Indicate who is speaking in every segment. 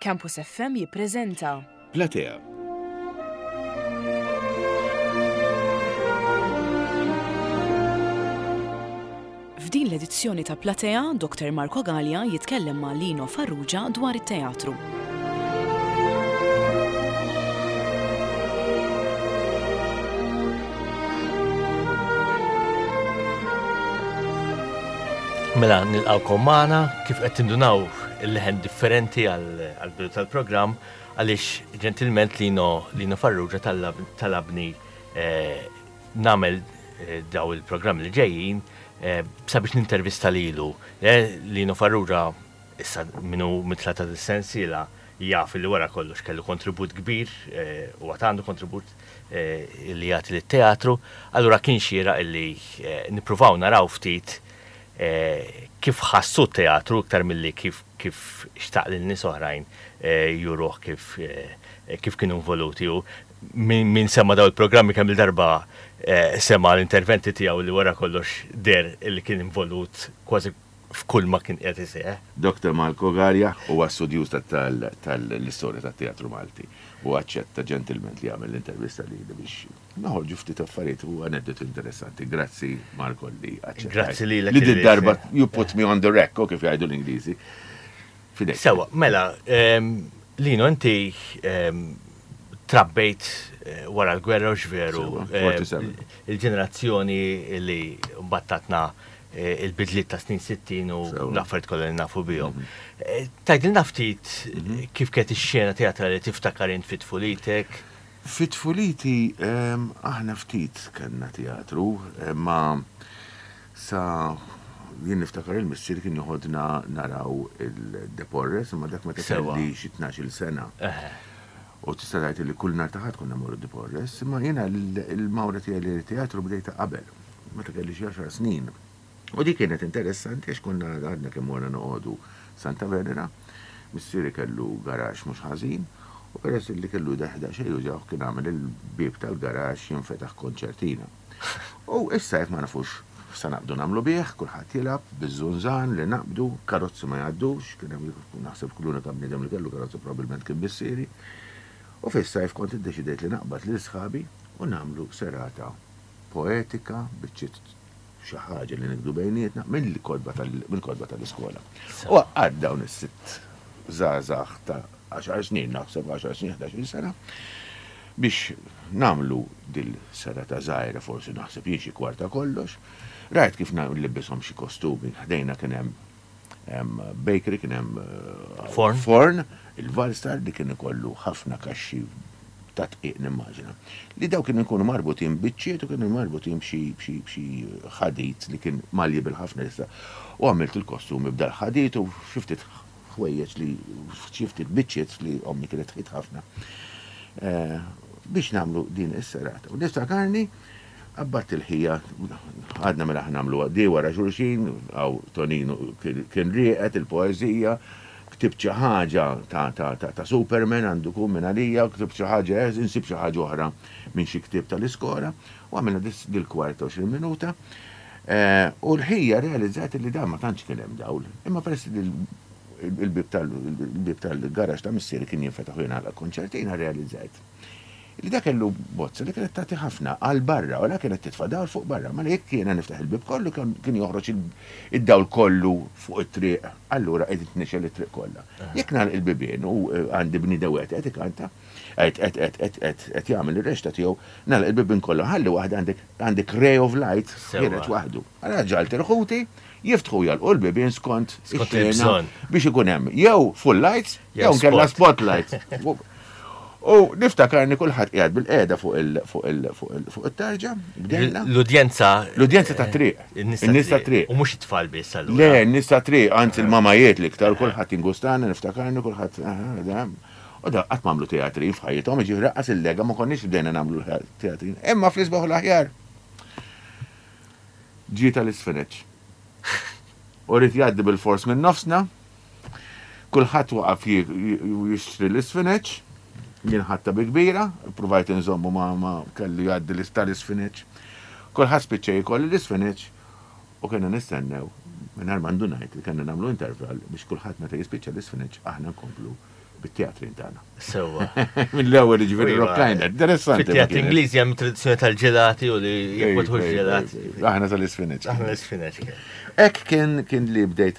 Speaker 1: Campus FM jippreżenta.
Speaker 2: Platea.
Speaker 1: F'din l-edizzjoni ta' Platea, Dr. Marco Galea jitkellem ma' Lino Farrugia dwar it-teatru.
Speaker 3: Mela nilqawkom magħna kif qed tindunaw il-leħen differenti għall-bidu tal-programm għaliex ġentilment Lino Lino Farrugia talabni eh, nagħmel eh, daw il-programm li ġejjin eh, sabiex nintervista lilu. Lino Farrugia Issa min hu mitla ta' dis-sensiela jaf li wara kollox kellu kontribut kbir u għad għandu kontribut li jagħti lit-teatru, allura kien xieraq illi nippruvaw naraw ftit kif ħassu t-teatru iktar milli kif kif xtaq lil nies oħrajn juruh kif kif kienu involuti u min sema' dawn il-programmi kemm-il darba sema' l-interventi tiegħu li wara kollox deher illi kien involut kważi f'kull ma kien qiegħed iseħħ.
Speaker 2: Doctor Marco Galea huwa studjuż tal-istorja tat-teatru Malti u aċċetta ġentilment li jagħmel l-intervista lili biex noħorġu ftit affarijiet u aneddoti interessanti. Grazzi Marco li aċċettajt.
Speaker 3: Grazzi lilek.
Speaker 2: Li did-darba you put me on the rack, kif jgħidu l-Ingliżi. Fidejk.
Speaker 3: Sewwa, mela, Lino inti trabbejt wara l-gwerra hux veru?
Speaker 2: Sewwa, 47.
Speaker 3: Il-ġenerazzjoni li mbagħad tatna il-bidliet ta' snin 60 u l-affarijiet kollha li nafu bihom. Mhm. Tgħidilna ftit mhm. kif kienet ix-xena teatrali tiftakar int fi tfulitek?
Speaker 2: Fi tfuliti ehm, aħna ftit kellna teatru, ma sa jien niftakar il-missier kien joħodna naraw il-Deporres, imma dak meta kelli xi 12-il sena. U tista' tgħid li kull nhar ta' Ħadd konna mmorru Deporres, imma jiena l-mawra tiegħi li teatru bdejta qabel. Meta kelli xi għaxar snin. U dik kienet interessanti għax konna għadna kemm morna noqogħdu Santa Venera, missieri kellu garaxx mhux ħażin, u peress li kellu daqsxejn jużawh kien għamel il-bieb tal-garaxx jinfetaħ konċertina. U is-sajf ma nafux x'sa naqbdu nagħmlu bih, kulħadd jilgħab biż-żunżan li naqbdu, karozzi ma jgħaddux, kien hemm naħseb l-unika bniedem li kellu karozza probabbilment kien missieri. U fis-sajf kont iddeċidejt li naqbad lil sħabi u nagħmlu serata poetika, biċċiet xi ħaġa li nikdu bejnietna mill-kotba mill-kotba tal-iskola. U għaqqad dawn is-sitt żgħażagħ ta' għaxar snin, naħseb għaxar snin, ħdax-il sena, biex nagħmlu dil-serata żgħira forsi naħseb jien xi kwarta kollox. Rajt kif nlibbishom xi kostumi, ħdejna kien hemm bakery, kien hemm eh,
Speaker 3: forn,
Speaker 2: forn il-Valstar li kien ikollu ħafna kaxxi ta' tqiq nimmaġina. Li daw kienu jkunu marbutin biċċiet u kienu marbutin b'xi ħadid li kien malji bil-ħafna issa. U għamilt il-kostumi b'dal ħadid u xi ftit ħwejjeġ li xi ftit biċċiet li ommi kienet tħit ħafna. Eh, biex nagħmlu din is-serata. U niftakarni Qabbadt il-ħija, għadna mela ħa nagħmluha di wara xulxin, hawn Toninu kien rieqed il-poeżija, ktibt xi ħaġa ta' Superman għandu jkun minn għalija, ktibt xi ħaġa, insib xi ħaġa oħra minn xi ktieb tal-iskola, u għamilna dil-kwarta 20 minuta. U l-ħija realizzat li dan ma tantx kien hemm dawl, imma peress li l-bieb tal-garaxx ta' missieri kien jinfetaħ u jingħalaq konċertina realizzajt li dak kellu bozza li kienet tagħti ħafna għal barra u la kienet titfa' dawl fuq barra. Mela jekk jiena niftaħ il-bieb kollu kien joħroġ id-dawl kollu fuq it-triq, allura qed tnixel it-triq kollha. Jekk nagħlaq il-bibien u eh, għandi bniedem wieħed qed ikanta, qed qed qed qed qed qed jagħmel ir-rexta tiegħu, nagħlaq il-bibien kollha ħalli waħda għandek għandek ray of light ħiereġ waħdu. Allura ġalt il-ħuti jiftħu jagħlqu l-bibien skont
Speaker 3: ix-xena
Speaker 2: biex ikun hemm jew full lights jew nkella spotlights. U niftakarni kulħadd qiegħed bil-qiegħda fuq it-tarġa, bdejna.
Speaker 3: L-udjenza.
Speaker 2: L-udjenza ta' triq. In-nies ta' triq.
Speaker 3: U mhux it-tfal biss
Speaker 2: allura. Le, n-nies ta' triq, anzi l-mamajiet l-iktar, kulħadd ingustana, niftakarni kulħadd. U da qatt m'għamlu teatrin f'ħajjithom, jiġifieri lanqas il-lega ma konniex bdejna nagħmlu teatrin. Imma fl-isbaħ u l-aħjar. Ġie tal-isfeneċ. U ried jgħaddi bil-fors minn nofsna. Kulħadd waqaf jixtri l-isfineċ. Jien ħadtha bi kbira, ippruvajt inżommu ma ma kellu jgħaddi tal-isfineċ. Kulħadd spiċċa jiekol l-isfineċ u kellna nistennew mingħajr ma ndunajt li kellna nagħmlu intervall biex kulħadd meta jispiċċa l-isfineċ aħna nkomplu. Bit-teatrin tagħna.
Speaker 3: Sewwa.
Speaker 2: Mill-ewwel jiġifieri rock climber. Interessanti.
Speaker 3: Fit-teatri Ingliżi hemm tradizzjoni tal-ġelati u li jekk ma tħux ġelat.
Speaker 2: Aħna tal-isfineċ.
Speaker 3: Aħna l-isfineċ.
Speaker 2: Hekk kien kien li bdejt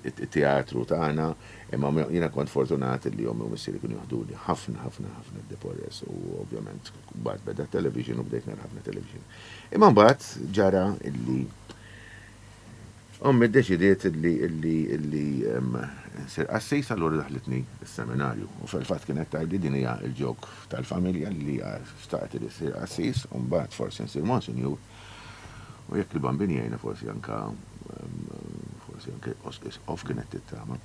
Speaker 2: il-teatru tagħna, imma jiena kont fortunat li ommi u missieri kienu joħduni ħafna ħafna ħafna d-Deporres u ovvjament mbagħad beda television u bdejt nara ħafna television. Imma mbagħad ġara illi Ommi ddeċidiet illi illi illi nsir qassis allura daħlitni s-seminarju. U fil-fatt kienet tgħidli din hija l-ġok tal-familja li xtaqet li ssir qassis u mbagħad forsi nsir monsinjur. U jekk il-Bambin jgħinna forsi anke forsi anke isqof kienet tittama.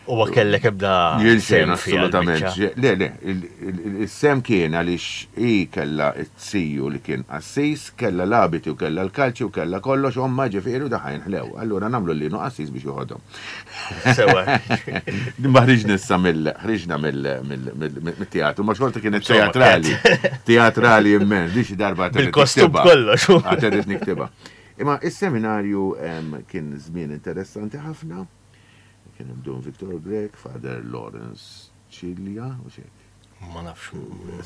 Speaker 3: U ma kellek ebda
Speaker 2: Jien xejn assolutament. Le, le, is-sehem kien għaliex hi kellha t-ziju li kien qassis, kellha l-abiti u kellha l-kalċi u kellha kollox, ommha ġifieri u daħħa jinħlew. Allura nagħmlu lil Lino qassis biex joħodhom.
Speaker 3: Sewwa.
Speaker 2: Ma ħriġna issa mill ħriġna mill-teatru, ma xorta kienet teatrali. Teatrali immens, di xi darba.
Speaker 3: Bil-kostum kollox.
Speaker 2: Għad irrid niktibha. Imma is-seminarju kien żmien interessanti ħafna. Kien hemm Dun Victor Grech, Father Lawrence Cilia, u xek.
Speaker 3: Ma nafx.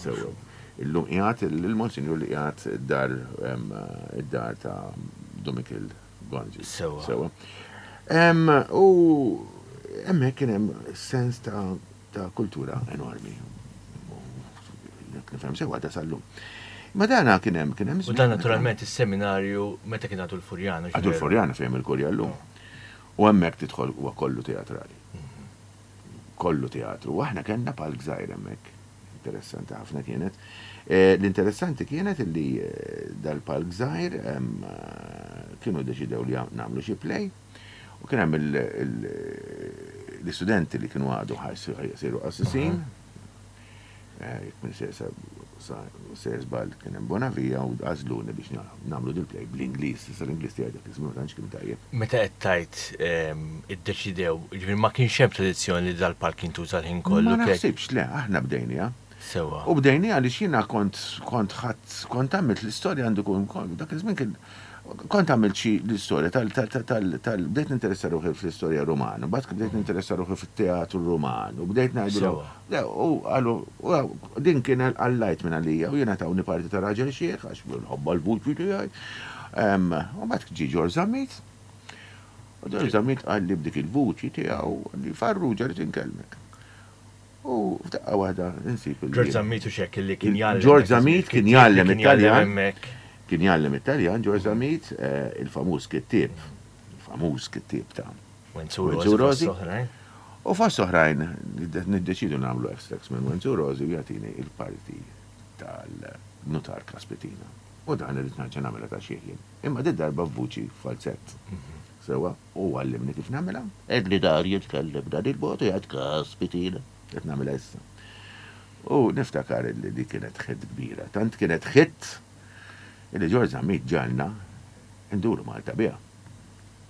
Speaker 2: Sewwa. Illum qiegħed il-Monsinjur li qiegħed id-dar id-dar ta' Dun Mikiel Gonzi.
Speaker 3: Sewwa.
Speaker 2: Sewwa. U hemmhekk kien hemm sens ta' ta' kultura enormi. Jekk nifhem sewwa ta' sal-lum. Ma dana kien hemm kien hemm.
Speaker 3: U dan naturalment is-seminarju meta kien għadu l-Furjana.
Speaker 2: Għadu l-Furjana fejn il-Kurja llum. U hemmhekk tidħol huwa kollu teatrali. Kollu teatru. U aħna kellna palk żgħir hemmhekk. Interessanti ħafna kienet. L-interessanti kienet illi dal-palk żgħir kienu ddeċidew li nagħmlu xi play u kien hemm l-istudenti li kienu għadu ħa jsiru qassisin. Jekk minn sejjer żball kien hemm Bonavia u għażluni biex nagħmlu dil-play bl-Ingliż. Issa l-Ingliż tiegħi dak iż-żmien ma tantx kien tajjeb.
Speaker 3: Meta qed tgħid iddeċidew, jiġifieri ma kienx hemm tradizzjoni li dal-palk jintuża l-ħin kollu?
Speaker 2: Ma naħsibx, le, aħna bdejniha.
Speaker 3: Sewwa.
Speaker 2: U bdejniha għaliex jiena kont kont ħadt kont għamilt l-istorja għandu jkun dak iż-żmien kien kont għamilt xi l-istorja tal tal tal bdejt ninteressa ruħi fl-istorja Rumana, mbagħad bdejt ninteressa ruħi fit-teatru Ruman u bdejt ngħidilhom Le, u qalu, u din kien għallajt minn għalija u jiena tawni parti ta' raġel xiħ għax nħobbha l-vuċi tiegħi. U mbagħad ġie Ġorġ Zammit. U Ġorġ Zammit qalli b'dik il-vuċi tiegħu li Farrugia rrid inkellmek. U f'daqqa waħda insib il
Speaker 3: Ġorġ Zammit u xek li kien jgħallem.
Speaker 2: Ġorġ Zammit kien jgħallem it-Taljan. Kien jgħallem it-Taljan, Ġorġ Zammit, il-famuż kittieb, il-famuż kittieb ta'
Speaker 3: Wenzu Rosi.
Speaker 2: U fost oħrajn niddeċidu nagħmlu extracts minn Wenzu Rosi u jagħtini il-parti tal-nutar Kaspitina. U dan irrid nerġa' nagħmilha ta' xieħ jien. Imma di darba f'vuċi falzett. Sewwa, u għallimni kif nagħmilha. Għedli dar jitkellem b'dan il-mod u jgħid Kaspitina. Qed nagħmilha issa. U niftakar li di kienet hit kbira. Tant kienet hit illi Ġorġ Zammit ġagħalna nduru Malta biha.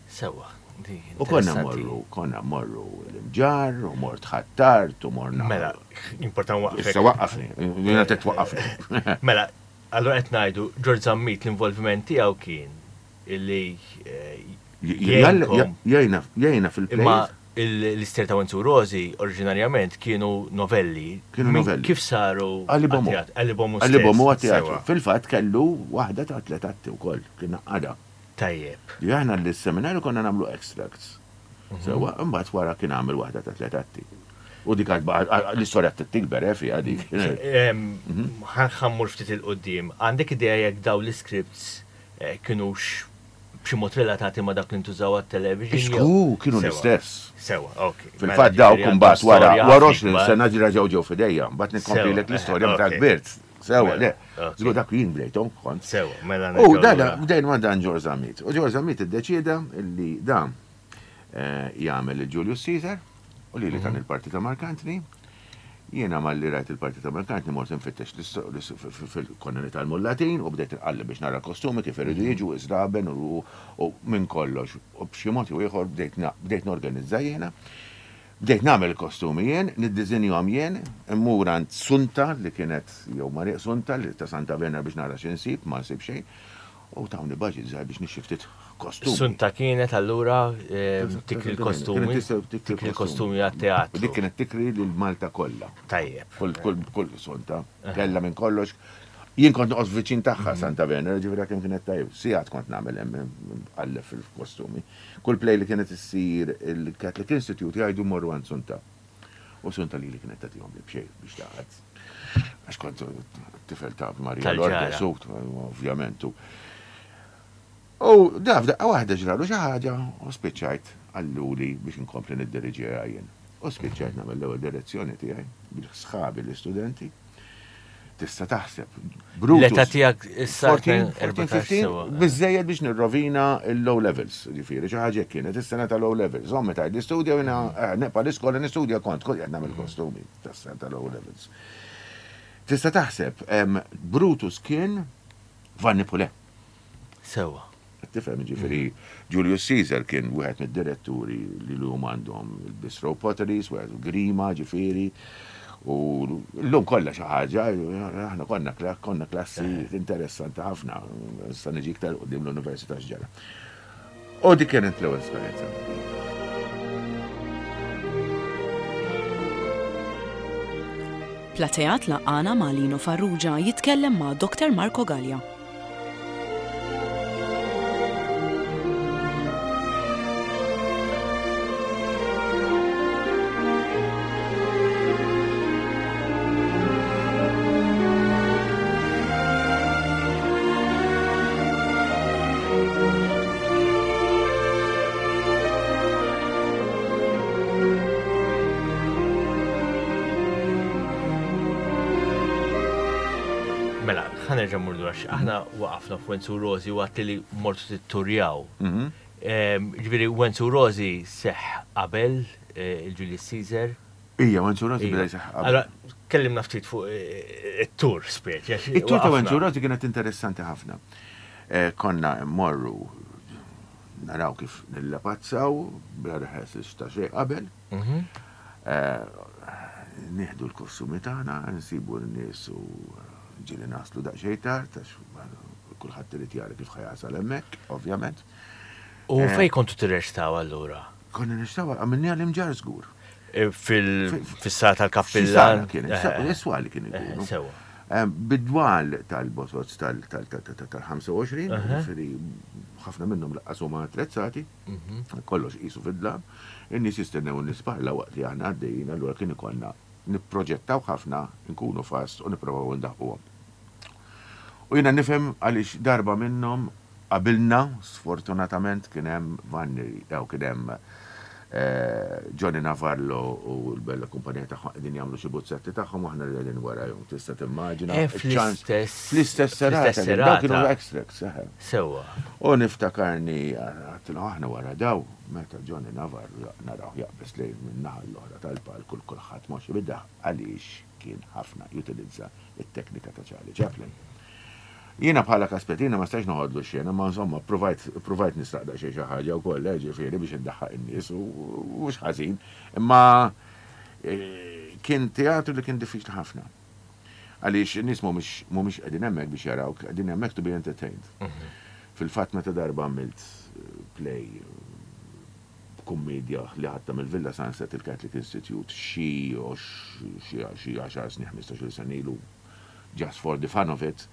Speaker 3: Sewwa, di
Speaker 2: U konna mmorru, konna mmorru l-Imġarr, u mort Ħ'Attard, u morna.
Speaker 3: Mela, important waqqfek.
Speaker 2: Issa waqqafni, jiena trid twaqqafni.
Speaker 3: Mela, allura qed ngħidu Ġorġ Zammit l-involviment tiegħu kien illi
Speaker 2: jgħinkom. Jgħinna, jgħinna fil-play.
Speaker 3: Imma l-istejjer ta' Wenzu Rosi oriġinarjament kienu novelli.
Speaker 2: Kienu novelli.
Speaker 3: Kif saru?
Speaker 2: Qalibhom hu.
Speaker 3: Qalibhom hu stess.
Speaker 2: Qalibhom hu għat-teatru. Fil-fatt kellu waħda ta' tliet atti wkoll, kien għaqqadha.
Speaker 3: Tajjeb.
Speaker 2: Li aħna l-seminarju konna nagħmlu extracts. Sewwa, imbagħad wara kien għamel waħda ta' tliet atti. U dik għad l-istorja trid tikber eh fiha dik.
Speaker 3: Ħa mmur ftit 'il quddiem. Għandek idea jekk dawn l-iscripts kinux b'xi mod relatati ma' dak li ntużaw għat-television?
Speaker 2: Xku, kienu l-istess.
Speaker 3: Sewwa, ok.
Speaker 2: Fil-fatt dawk imbagħad wara wara 20 sena reġgħu ġew f'idejja. Mbagħad nikkomplilek l-istorja meta kbirt. Sewa, le. Żgur dak jien bdejthom kont.
Speaker 3: Sewa, mela
Speaker 2: U dada, bdejn ma' dan George Zammit. U George Zammit iddeċieda li dan eh, jagħmel il-Julius Caesar u li li tan mhm. il-parti ta' Mark Anthony. Jiena malli rajt il-parti ta' Mark Anthony mort infittex fil-konna nitgħallmu l-Latin u bdejt inqalleb biex nara kostumi kif iridu mhm. jiġu iżraben u minn kollox. U b'xi mod jew ieħor bdejt norganizza jiena. Bdejt nagħmel il-kostumi jien, niddiżinjahom jien, immur għand Sunta li kienet, jew Mariq Sunta li ta' Santa Venera biex nara xi nsib, ma nsib xejn. U tawni budget żgħir biex nixtri ftit Kostumi.
Speaker 3: Sunta kienet allura tikri l-kostumi. Tikri l-kostumi għat-teatru.
Speaker 2: Dik kienet tikri lil Malta kollha.
Speaker 3: Tajjeb.
Speaker 2: Kull sunta. Kellha minn kollox. Jien kont noqgħod viċin tagħha Santa Venera, ġifieri kemm kienet tajjeb. Sigħat kont nagħmel hemm għallef fil-kostumi. Kull play li kienet issir il-Catholic Institute jgħidu morru għand Sunta. U Sunta lili kienet tagħtihom li b'xejn biex taqgħad. Għax kont tifel ta' Maria Lourdes, ovvjament. U da f'daqqa waħda ġralu xi ħaġa u spiċċajt qalluli biex inkompli niddiriġiha jien. U spiċċajt nagħmel l-ewwel direzzjoni tiegħi bil-sħabi l-istudenti. Tista' taħseb.
Speaker 3: Brutus. L-età tiegħek issa
Speaker 2: 14, 15, biżejjed biex nirrovina l-low levels, ġifieri xi ħaġa kienet is-sena ta' low levels. Ommi tgħid l-istudja u jiena eh, neqpa' l-iskola nistudja kont kont qed nagħmel kostumi tas-sena ta' low levels. Tista' taħseb, Brutus kien Vanni Pulè.
Speaker 3: Sewwa.
Speaker 2: Qed tifhem, jiġifieri Julius Caesar kien wieħed mid-diretturi li llum għandhom il-Bistro Potteries, wieħed Grima, ġifieri, u llum kollha xi ħaġa, aħna konna konna klassi interessanti ħafna, issa niġi iktar quddiem l-università x'ġara. U dik kienet l-ewwel esperjenza.
Speaker 1: Platea tlaqqana ma' Lino Farrugia jitkellem ma' Dr. Marco Galea.
Speaker 3: Mela, ħa nerġa' mmur lura aħna waqafna f'Wenzu Rosi u għatti li mortu titturjaw. Mhm. Ġifieri Wenzu Rosi seħ qabel eh, il-Julius Caesar.
Speaker 2: Ija, Wenzu Rosi beda jseħħ qabel.
Speaker 3: Allora, kellimna ftit fuq eh, it-tur speċi.
Speaker 2: It-tur ta' Wenzu Rosi kienet interessanti ħafna. Eh, konna mmorru naraw kif nillapazzaw bla rehearsals ta' xejn qabel. Mhm. Eh, nieħdu l-kostumi tagħna, nsibu n-nies u ġieli naslu daqsxejn tard għax kulħadd irid jara kif ħa jasal hemmhekk, ovvjament.
Speaker 3: U fejn kontu tirreċtaw allura?
Speaker 2: Konna nirreċtaw għamilniha l-Imġarr żgur.
Speaker 3: Fis-sala tal-kappillan?
Speaker 2: Kien, is-swali kien ikunu. Sewa. Bid-dwal tal-bozoz tal-25, ġifieri ħafna minnhom laqqas huma attrezzati, kollox qisu fid-dlam, in-nies jistennew in-nies parla waqt li aħna għaddejjin, allura kien ikollna nipproġettaw ħafna, nkunu fast u nipprovaw indaħquhom. U jiena nifhem għaliex darba minnhom Qabilna, sfortunatament, kien hemm Vanni, jew kien hemm Johnny Navarlo u l-bella kumpanija tagħhom qegħdin jagħmlu xi buzzetti tagħhom u aħna li qegħdin warajhom. Tista' timmaġina.
Speaker 3: Eh, fl-istess.
Speaker 2: Fl-istess serata.
Speaker 3: Fl-istess
Speaker 2: Dawk kienu extracts, eħe.
Speaker 3: Sewwa.
Speaker 2: U niftakarni, għedtilhom aħna wara daw, meta Johnny Navarro narawh jaqbeż lejn min-naħa l-oħra tal-palk u kulħadd moxi bid-daħq għaliex kien ħafna jutilizza t-teknika ta' Charlie Chaplin. Jiena bħala Kaspetina ma stajtx noħodlu x-xena, imma insomma ppruvajt ppruvajt nisraq daqsxejn xi ħaġa wkoll, eh, ġifieri biex indaħħaq in-nies u mhux ħażin. Imma kien teatru li kien diffiċli ħafna. Għaliex in-nies mhumiex mhumiex qegħdin hemmhekk biex jarawk, qegħdin hemmhekk to be entertained. Fil-fatt meta darba għamilt play kummiedja li ħadtha mill-Villa Sunset il-Catholic Institute xi xi xi għaxar snin, ħmistax-il sena ilu, Just for the fun of it,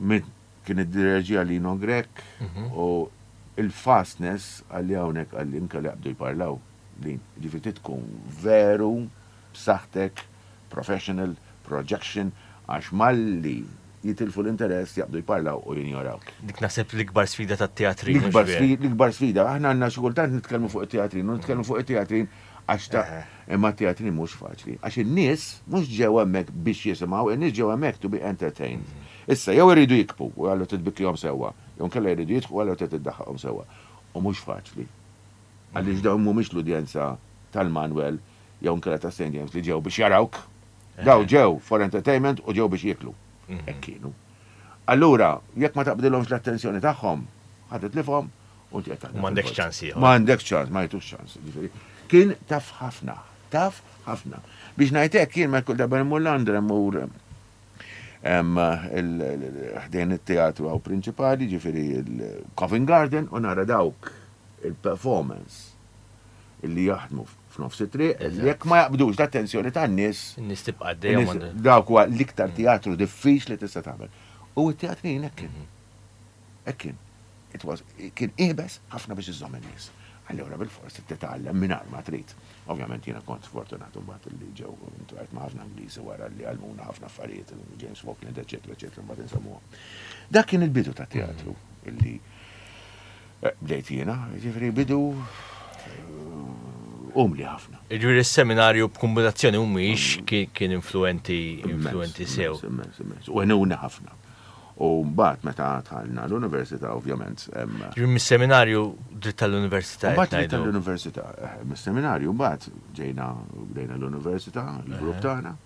Speaker 2: min kien iddireġiha Lino Grech u il-fastness qalli hawnhekk qalli inkella jaqbdu jparlaw din. Jiġifieri trid tkun veru b'saħħtek, professional, projection għax malli jitilfu l-interess jaqbdu jparlaw u jinjorawk.
Speaker 3: Dik naħseb l-ikbar sfida tat-teatrin.
Speaker 2: L-ikbar sfida. Aħna għandna xi kultant nitkellmu fuq it-teatrin u nitkellmu fuq it-teatrin Għax ta' imma t-teatrin mhux faċli. Għax in-nies mhux ġew hemmhekk biex jisimgħu, in-nies ġew hemmhekk to be entertained. Issa, jew iridu jikbu u allura trid tbikkihom sewwa, jew inkella jridu jidħku u allura trid iddaħħaqhom sewwa. U mhux faċli. Għaliex dawn mhumiex l-udjenza tal-Manwel jew inkella ta' St. James li ġew biex jarawk. Dawn ġew for entertainment u ġew biex jieklu. Hekk kienu. Allura, jekk ma taqbdilhomx l-attenzjoni tagħhom, ħa titlifhom U inti qed taħdem.
Speaker 3: M'għandekx ċans ieħor.
Speaker 2: M'għandekx ċans, ma jagħtux ċans. Ġifieri, kien taf ħafna, taf ħafna. Biex ngħid hekk jien meta kull darba mmur Londra mmur. Ħdejn it-teatru hawn prinċipali, ġifieri l-Covent Garden, u nara dawk il-performance li jaħdmu f'nofs it-triq, li jekk ma jaqbdux l-attenzjoni tan-nies.
Speaker 3: In-nies tibqa' għaddejja.
Speaker 2: Dawk huwa l-iktar teatru diffiċli tista' tagħmel. U t-teatrin hekk kien. Hekk kien. It was, kien iebes ħafna biex iżżomm in-nies. Allura bilfors trid titgħallem mingħajr ma trid. Ovvjament jiena kont sfortunat imbagħad li ġew intlaqajt ma' ħafna Ingliżi wara li għallmuna ħafna affarijiet, James Falkland, eċċetera, eċċetera, mbagħad insemmuhom. Dak kien il-bidu tat-teatru illi eh, bdejt jiena, jiġifieri bidu eh, umli ħafna.
Speaker 3: Jiġifieri s-seminarju b'kombinazzjoni humiex kien influenti influenti sew.
Speaker 2: Immens, immens. U għenuna ħafna. U mbagħad meta dħalna l-università ovvjament.
Speaker 3: Ġifieri mis-seminarju dritt tal-università.
Speaker 2: Mbagħad dritt tal-università. Eh, mis-seminarju mbagħad ġejna bdejna l-università, il-grupp tagħna.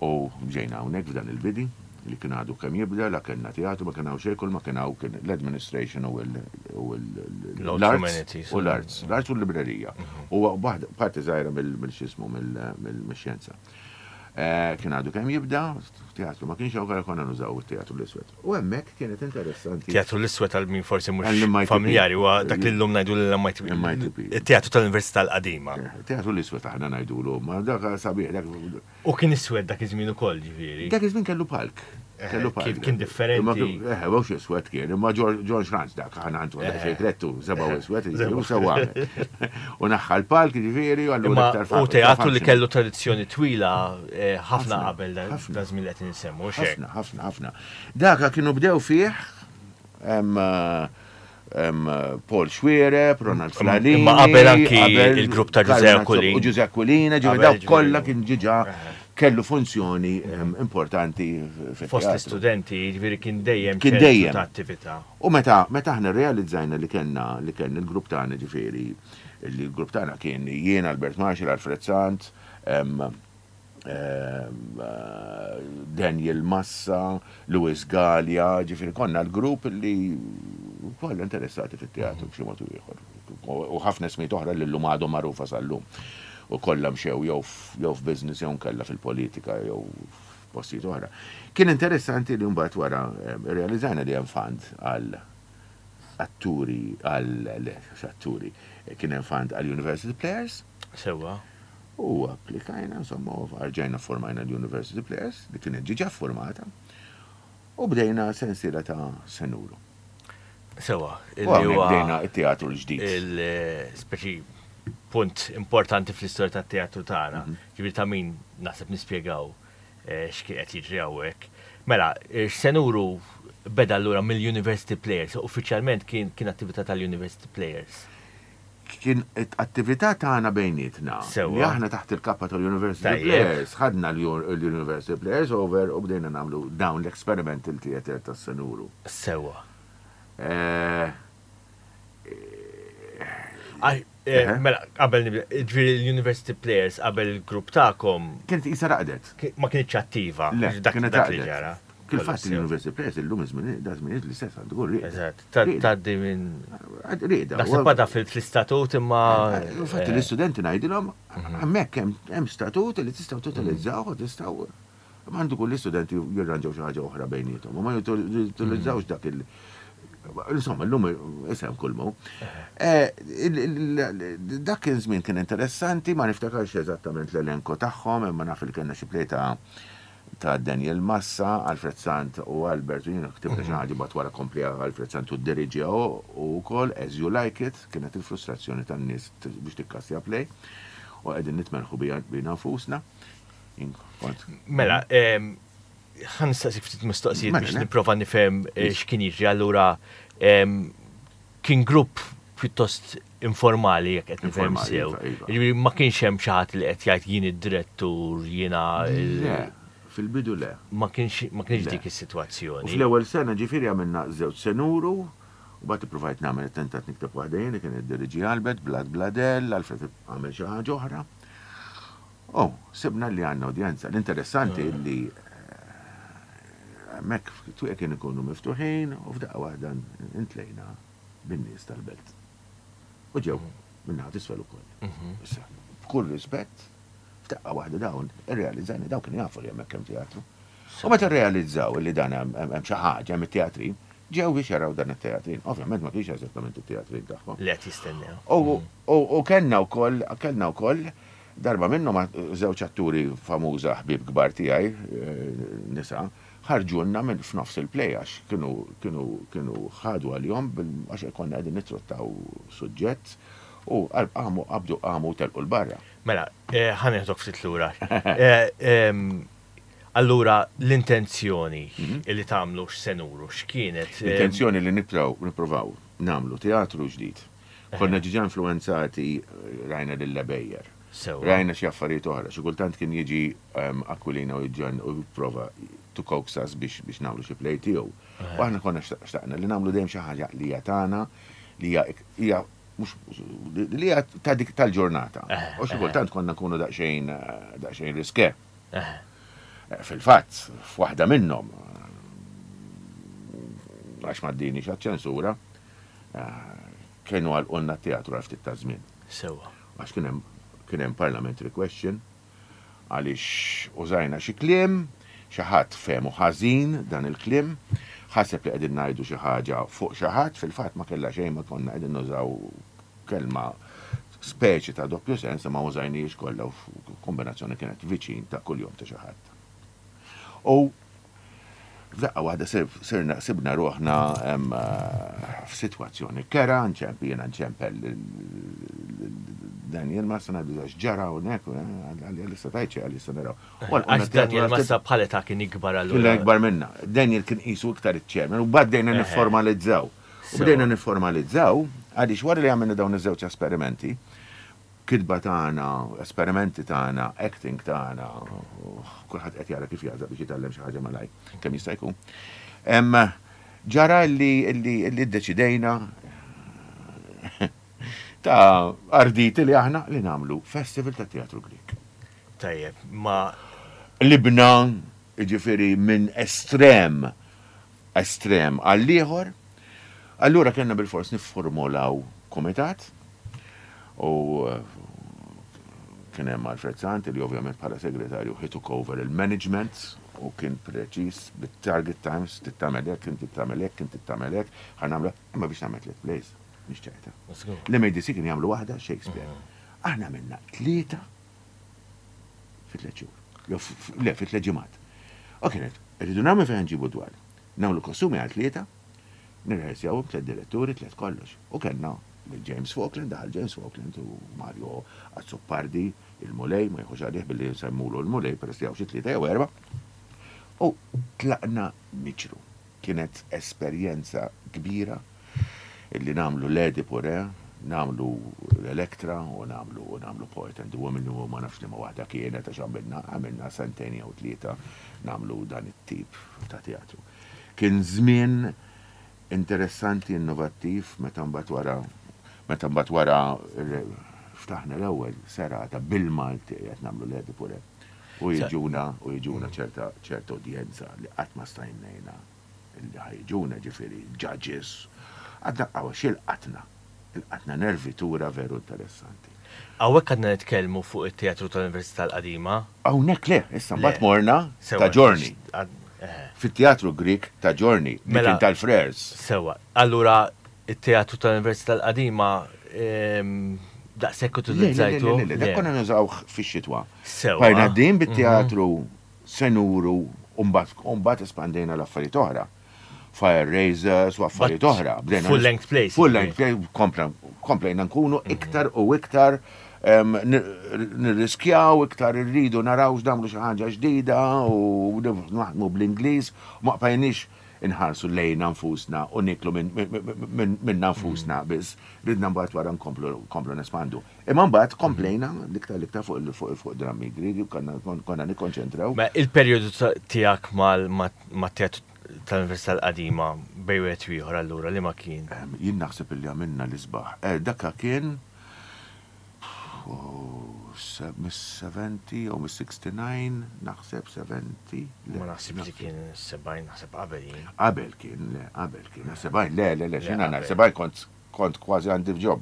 Speaker 2: U ġejna hawnhekk f'dan il-bidi li kien għadu kemm jibda, la kellna teatru, ma kien hawn xejn, kull ma kien hawn kien l-administration u l-arts. U l-arts, l-arts u l-librerija. Mhm. U parti żgħira mill-xismu mill-xjenza. Eh, kien għadu kemm jibda, teatru ma kienx hawn konna nużaw it-teatru l-iswed. U hemmhekk kienet interessanti.
Speaker 3: Teatru l-iswed għal min forsi mhux familjari huwa dak li llum ngħidu l-MITP. It-teatru tal-Università l-qadima.
Speaker 2: Eh, teatru l-iswed aħna ngħidulu, ma dak sabiħ dak.
Speaker 3: U kien iswed dak iż-żmien ukoll ġifieri.
Speaker 2: Dak iż-żmien kellu palk.
Speaker 3: Eh, kellu palk. Kien differenti.
Speaker 2: Eh, mhux iswed kien, imma John Schranz dak aħna għandu għandek xejn krettu, seba' iswed, u sewa. U naħħa l-palk ġifieri u
Speaker 3: allura iktar U teatru li kellu tradizzjoni twila eh, ħafna qabel da żmien li qed insemmu.
Speaker 2: Ħafna, ħafna, ħafna. Daka kienu bdew fih Paul Xuereb, Ronald Flalini.
Speaker 3: Imma qabel anki il-grupp ta' Ġużè
Speaker 2: Aquilina. U Ġużè Aquilina, ġifieri dawk kollha kien ġiġa kellu funzjoni importanti
Speaker 3: Fost l-istudenti, ġifieri kien dejjem kien dejjem ta' attività.
Speaker 2: U meta meta aħna rrealizzajna li kellna li kellna il-grupp tagħna ġifieri li l-grupp tagħna kien jien Albert Marshall, Alfred Sant, Daniel Massa, Louis Galea, ġifieri konna l-grupp li kollha interessati fit-teatru b'xi mod ieħor. U ħafna ismijiet oħra li llum għadhom magħrufa sal-lum. U kollha mxew jew f'business jew nkella fil-politika jew f'postijiet oħra. Kien interessanti li mbagħad wara rrealizzajna li hemm fund għal atturi għal le, atturi, kien hemm fund għal University Players.
Speaker 3: Sewwa.
Speaker 2: U applikajna, insomma, u rġajna ffurmajna l-University Players, li kienet ġiġa ffurmata, u bdejna sensiela ta' Senuru.
Speaker 3: Sewa,
Speaker 2: U hawnhekk bdejna t-teatru l-ġdid.
Speaker 3: Il-speċi punt importanti fl-istorja tat-teatru tagħna. Mhm. Ġifieri ta' min naħseb nispjegaw eh, x'kien qed jiġri hawnhekk. Mela, eh, Senuru beda allura mill-University Players, uffiċjalment kien kien attività tal-University Players.
Speaker 2: Kien attività tagħna bejnietna. Li aħna taħt il-kappa tal-University Players, ħadna l-University Players over u bdejna nagħmlu dawn l-experimental theater tas-Senuru.
Speaker 3: Sewwa. Eh, eh, eh, mela, qabel nibda, ġifieri l-University Players qabel il-grupp tagħkom.
Speaker 2: Kienet qisha raqdet.
Speaker 3: Ma kienitx attiva.
Speaker 2: Le, kienet raqdet. ġara. Kif-fatt l-University Players illum iż-żmien, da żmien l-istess għandu
Speaker 3: jkun rieqda. Eżatt, tgħaddi minn. Rieqda. Naħseb għadha fl-istatut imma.
Speaker 2: Infatti l-istudenti ngħidilhom mhm. hemmhekk hemm statut li tistgħu totalizzaw u tistgħu Ma għandu kull l-istudenti jirranġaw xi ħaġa oħra bejniethom, u ma jutilizzawx dak il- Insomma, l-lum isem kull mu. Eh, dak kien żmien kien interessanti, ma niftakarx eżattament l-elenko tagħhom, imma naf li kellna xi plejta ta' Daniel Massa, Alfred Sant u Albert u jiena ktibna xi ħaġa mbagħad wara kompliha Alfred Sant u ddiriġiha hu wkoll, As You Like It, kienet il-frustrazzjoni tan-nies biex tikkastja play u qegħdin nitmerrħu bina nfusna.
Speaker 3: Mela, ħa nistaqsik ftit mistoqsijiet biex nipprova nifhem eh, x'kien jiġri. Allura kien grupp pjuttost informali jekk qed nifhem sew. Iva, iva. Jiġifieri ma kienx hemm xi ħadd li qed jgħid jien id-direttur, jiena
Speaker 2: Le, fil-bidu le.
Speaker 3: Ma kienx ma kienx dik is-sitwazzjoni.
Speaker 2: U fl-ewwel sena ġifieri għamilna żewġ senuru, u mbagħad ippruvajt nagħmel attentat nikteb waħda jien li kien iddiriġi Albert, Blad Bladel, Alfred għamel xi ħaġa oħra. U sibna li għandna udjenza. L-interessanti li eh, hemmhekk twieq kien ikunu miftuħin u f'daqqa waħda intlejna bin-nies tal-belt. U ġew min-naħa t'isfel ukoll. Mhm. Issa, b'kull rispett, f'daqqa waħda dawn irrealizzajna dawn kienu jafu li hemmhekk hemm teatru. U meta rrealizzaw li dan hemm xi ħaġa, hemm it-teatrin, ġew biex jaraw dan it-teatrin. Ovvjament ma kienx eżattament it-teatrin tagħhom.
Speaker 3: Li qed jistennew.
Speaker 2: U kellna wkoll, kellna wkoll darba minnhom żewġ atturi famuża ħbieb kbar tiegħi, nisa, ħarġulna minn f'nofs il-play għax kienu kienu kienu ħadu għalihom għax konna qegħdin nittrottaw suġġett u qamu qabdu qamu u telqu 'l barra.
Speaker 3: Mela, ħa nieħdok ftit lura. Allura l-intenzjoni li tagħmlu x'se nuru, x'kienet?
Speaker 2: L-intenzjoni li nibdew nippruvaw nagħmlu teatru ġdid. Konna ġiġa influwenzati rajna lil Lebejer. Rajna xi affarijiet oħra, xi kultant kien jiġi Aquilina u jiġġen u jipprova to coax us biex biex nagħmlu xi play tiegħu. U aħna konna xtaqna li nagħmlu dejjem xi ħaġa li hija tagħna, li hija hija mhux li hija ta' dik tal-ġurnata. U xi kultant konna nkunu daqsxejn daqsxejn riske. Fil-fatt, f'waħda minnhom, għax m'għaddinix għaċ-ċensura, kienu għalqulna t-teatru għal ftit ta' żmien.
Speaker 3: Sewwa.
Speaker 2: Għax kien hemm kien hemm parliamentary question għaliex użajna xi kliem, xi ħadd fehmu ħażin dan il-kliem, ħaseb li qegħdin ngħidu xi ħaġa fuq xi ħadd, fil-fatt ma kellha xejn ma konna qegħdin nużaw kelma speċi ta' doppju sens imma użajnihiex kollha u kombinazzjoni kienet viċin ta' kuljum ta' xi ħadd. U f'daqqa waħda sirna sibna ruħna f'sitwazzjoni kera, nċemp jiena nċempel Daniel Massa ngħidu x'ġara hawnhekk, għalli issa tajt xi għalli issa naraw.
Speaker 3: Għax Daniel Massa bħal età kien ikbar
Speaker 2: allura. Kien ikbar minna. Daniel kien qisu iktar iċ-chairman u bdejna nifformalizzaw. U bdejna nifformalizzaw għaliex wara li għamilna dawn iż-żewġ esperimenti, kitba tagħna, esperimenti tagħna, acting tagħna, kulħadd qed jara kif jagħżaq biex jitgħallem xi ħaġa malajr kemm jista' jkun. Ġara li li ddeċidejna ta' arditi li aħna li nagħmlu festival ta' teatru Grieg.
Speaker 3: Tajjeb, ma.
Speaker 2: Qlibna, jiġifieri minn estrem estrem għall-ieħor, allura kellna bilfors nifformulaw kumitat u kien hemm Alfred Sant li ovvjament bħala segretarju he took over il-management u kien preċiż bit-target times, trid tagħmel hekk, inti tagħmel hekk, inti tagħmel hekk, ħa nagħmlu imma biex tagħmel tliet plays mhix ċajta. L-MADC kien jagħmlu waħda Shakespeare. Aħna għamilna tlieta fi tliet xhur. Jew le, fi tliet ġimgħat. U kienet, irridu nagħmlu fejn nġibu dwar. Nagħmlu kostumi għal tlieta, nirrehersjawhom tliet diretturi, tliet kollox. U kellna lil James Falkland, daħal James Falkland u Mario Azzopardi, il-Mulej, ma jieħux għalih billi nsemmulu l-Mulej peress li hawn xi tlieta jew erba'. U tlaqna niġru. Kienet esperjenza kbira illi nagħmlu l-Edipu Re, nagħmlu l-Electra u nagħmlu u nagħmlu Poet and the Woman u ma nafx liema waħda kienet għax għamilna għamilna sentejn jew tlieta nagħmlu dan it-tip ta' teatru. Kien żmien interessanti, innovattiv, meta mbagħad wara meta mbagħad wara ftaħna l-ewwel serata bil-Malti qed nagħmlu l-Edipu Re. U jiġuna u jiġuna ċerta ċerta udjenza li qatt ma stajnejna li ħa jiġuna ġifieri judges. Għadna għaw x'ilqatna? Ilqatna nervitura veru interessanti.
Speaker 3: Hawnhekk għadna nitkellmu fuq it-Teatru tal-Università l-Qadima.
Speaker 2: Hawnhekk le, issa mbagħad morna ta' Giorni. Fit-Teatru Grieg ta' Giorni, li kien tal-Frères.
Speaker 3: Sewwa. Allura It-teatru tal-Università l-Qadima daqshekk utilizzajtu?
Speaker 2: Le, le, le, dak konna nużawh fix-xitwa.
Speaker 3: Sewwa.
Speaker 2: Bqajna għaddejjin bit-teatru se nuru u mbagħad espandejna l-affarijiet oħra. Fire raisers u affarijiet oħra.
Speaker 3: Full length plays.
Speaker 2: Full length play, komplejna nkunu iktar u iktar nirriskjaw, iktar irridu naraw x'nagħmlu xi ħaġa ġdida u naħdmu bl-Ingliż, ma bqajniex inħarsu lejna nfusna u nieklu minna nfusna biss, ridna mbagħad wara nkomplu nespandu. Imma mbagħad komplejna l-iktar l-iktar fuq drammi Griegi u konna nikkonċentraw.
Speaker 3: Mela il-perjodu tiegħek mat-teatru tal-Università l-Qadima bejn wieħed u ieħor allura liema kien?
Speaker 2: Jien naħseb illi għamilna l-isbaħ. Dak kien Mis-70 jew mis-69, naħseb 70.
Speaker 3: Ma naħsibx li kien 70, naħseb qabel jien.
Speaker 2: Qabel kien, le, qabel kien. 70, le, le, le, xina ngħid, 70 kont kont kważi għandi job.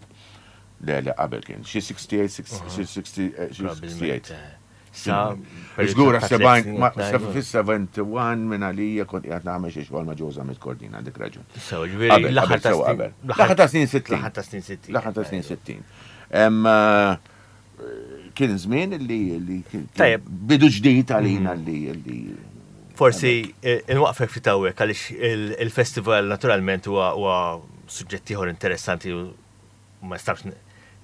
Speaker 2: Le, le, qabel kien. Xi 68, xi 68.
Speaker 3: Sa
Speaker 2: Żgur fis-71 minn għalija kont qiegħed nagħmel xi xogħol ma' Joe Zammit Cordina għandek raġun.
Speaker 3: So, ġifieri l-aħħar ta' snin.
Speaker 2: L-aħħar ta' snin 60.
Speaker 3: L-aħħar ta' snin 60.
Speaker 2: L-aħħar ta' snin 60. Eh, kien żmien li bidu ġdid għalina mhm. li
Speaker 3: Forsi eh, inwaqfek ftit hawnhekk għaliex il-festival naturalment huwa suġġett ieħor interessanti u ma nistax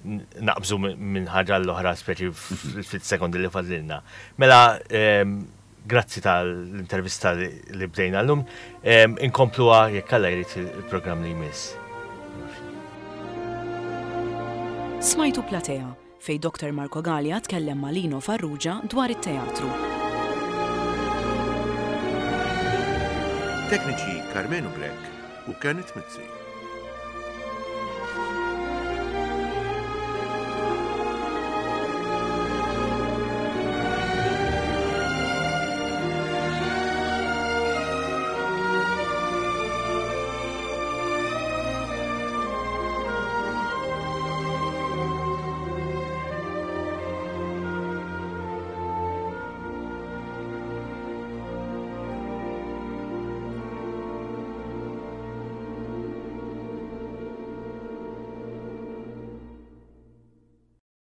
Speaker 3: naqbżu minn ħaġa l-oħra speċi fil sekondi li fadlilna. Mela, ehm, grazzi tal-intervista li bdejna l-lum, ehm, inkompluha jekk Alla jrid il-programm li jmiss.
Speaker 1: Smajtu Platea, fejn Dr. Marco Galea tkellem ma' Lino Farrugia dwar it-teatru.
Speaker 2: Tekniċi Karmenu Grech u Kenneth Mizzi.